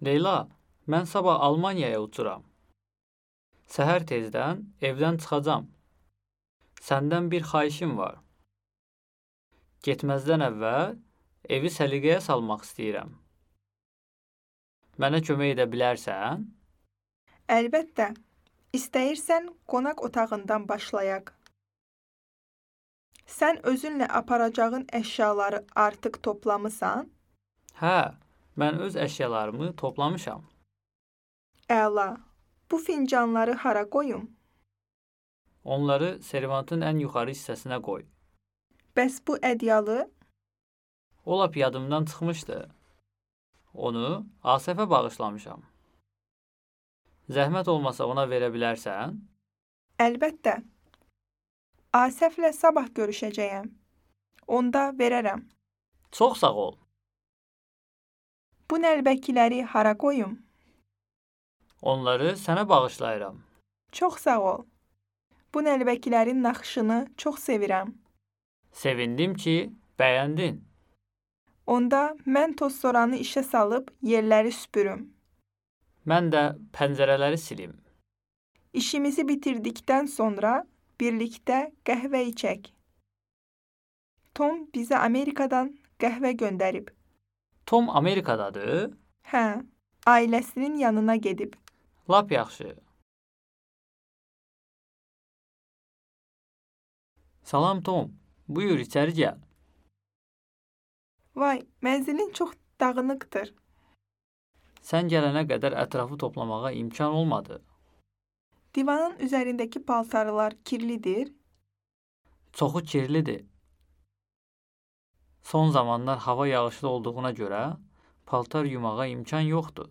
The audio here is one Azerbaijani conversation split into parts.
Leyla, mən sabah Almaniyaya uçuram. Səhər tezdən evdən çıxacam. Səndən bir xahişim var. Getməzdən əvvəl evi səliqəyə salmaq istəyirəm. Mənə kömək edə bilərsən? Əlbəttə. İstəyirsən qonaq otağından başlayaq. Sən özünlə aparacağın əşyaları artıq toplamısan? Hə, mən öz əşyalarımı toplamışam. Əla. Bu fincanları hara qoyum? Onları servantın ən yuxarı hissəsinə qoy. Bəs bu ədyalı? O lap yadımdan çıxmışdı. Onu Asəfə bağışlamışam. Zəhmət olmasa ona verə bilərsən? Əlbəttə. Asəflə sabah görüşəcəyəm. Onda verərəm. Çox sağ ol. Bu nəlbəkiləri hara qoyum? Onları sənə bağışlayıram. Çox sağ ol. Bu nəlbəkilərin naxışını çox sevirəm. Sevindim ki, bəyəndin. Onda mən tozsoranı işə salıb yerləri süpürüm. Mən də pəncərələri silim. İşimizi bitirdikdən sonra birlikdə qəhvə içək. Tom bizə Amerikadan qəhvə göndərib. Tom Amerikadadır? Hə, ailəsinin yanına gedib. Lap yaxşı. Salam Tom, buyur içəri gəl. Vay, mənzilin çox dağınıqdır. Sən gələnə qədər ətrafı toplamağa imkan olmadı. Divanın üzərindəki paltarlar kirlidir. Çoxu kirlidir. Son zamanlar hava yağışlı olduğuna görə paltar yumağa imkan yoxdur.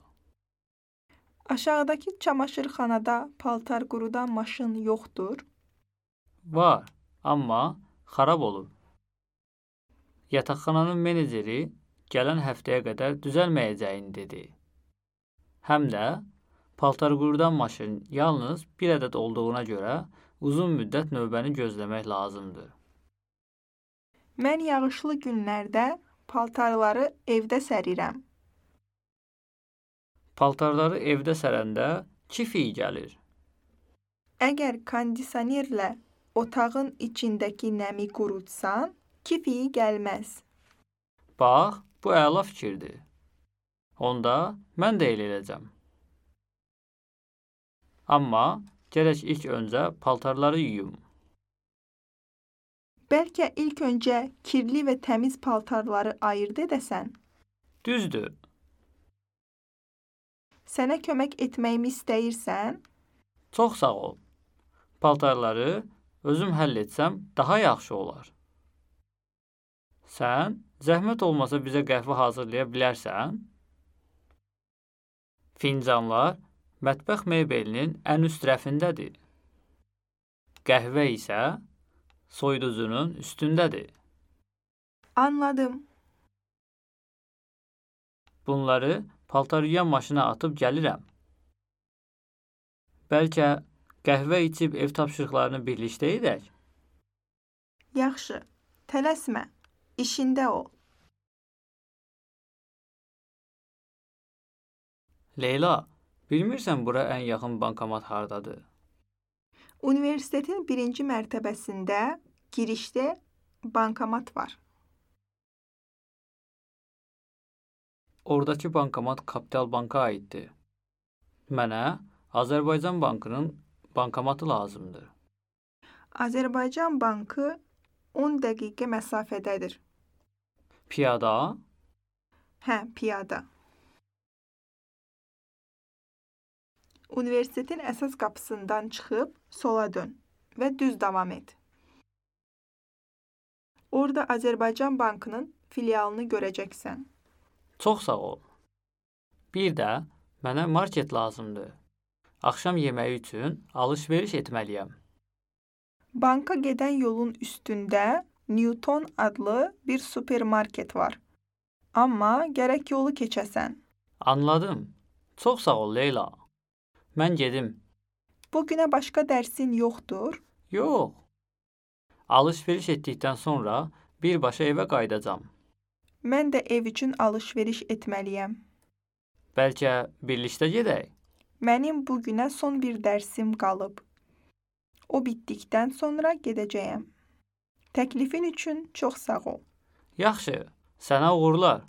Aşağıdakı çamaşırxanada paltar qurudan maşın yoxdur. Var, amma xarab olub. Yataqxananın meneceri gələn həftəyə qədər düzəlməyəcəyini dedi. Həm də paltar qurudan maşın yalnız bir ədəd olduğuna görə uzun müddət növbəni gözləmək lazımdır. Mən yağışlı günlərdə paltarları evdə sərirəm. Paltarları evdə sərəndə kif iyi gəlir. Əgər kondisionerlə otağın içindəki nəmi qurutsan, kif iyi gəlməz. Bax, bu əla fikirdir. Onda mən də elə edəcəm. Amma gərək ilk öncə paltarları yuyum. Bəlkə ilk öncə kirli və təmiz paltarları ayırd edəsən. Düzdür. Sənə kömək etməyimi istəyirsən? Çox sağ ol. Paltarları özüm həll etsəm daha yaxşı olar. Sən zəhmət olmasa bizə qəhvə hazırlaya bilərsən? Fincanlar mətbəx mebelinin ən üst rəfindədir. Qəhvə isə soyuducunun üstündədir. Anladım. Bunları paltar yuyan maşına atıb gəlirəm. Bəlkə qəhvə içib ev tapşırıqlarını birlikdə edək? Yaxşı, tələsmə, işində ol. Leyla, bilmirsən bura ən yaxın bankomat hardadır? Universitetin 1-ci mərtəbəsində girişdə bankomat var. Oradakı bankomat Kapital Banka aiddir. Mənə Azərbaycan Bankının bankomatı lazımdır. Azərbaycan Bankı 10 dəqiqə məsafədədir. Piyada? Hə, piyada. Universitetin əsas qapısından çıxıb sola dön və düz davam et. Orada Azərbaycan Bankının filialını görəcəksən. Çox sağ ol. Bir də mənə market lazımdır. Axşam yeməyi üçün alış-veriş etməliyəm. Banka gedən yolun üstündə Newton adlı bir supermarket var. Amma gərək yolu keçəsən. Anladım. Çox sağ ol Leyla. Mən gedim. Bugünə başqa dərsin yoxdur? Yox. Alış-veriş etdikdən sonra birbaşa evə qayıdacam. Mən də ev üçün alış-veriş etməliyəm. Bəlkə birlikdə gedək? Mənim bu günə son bir dərsim qalıb. O bitdikdən sonra gedəcəyəm. Təklifin üçün çox sağ ol. Yaxşı, sənə uğurlar.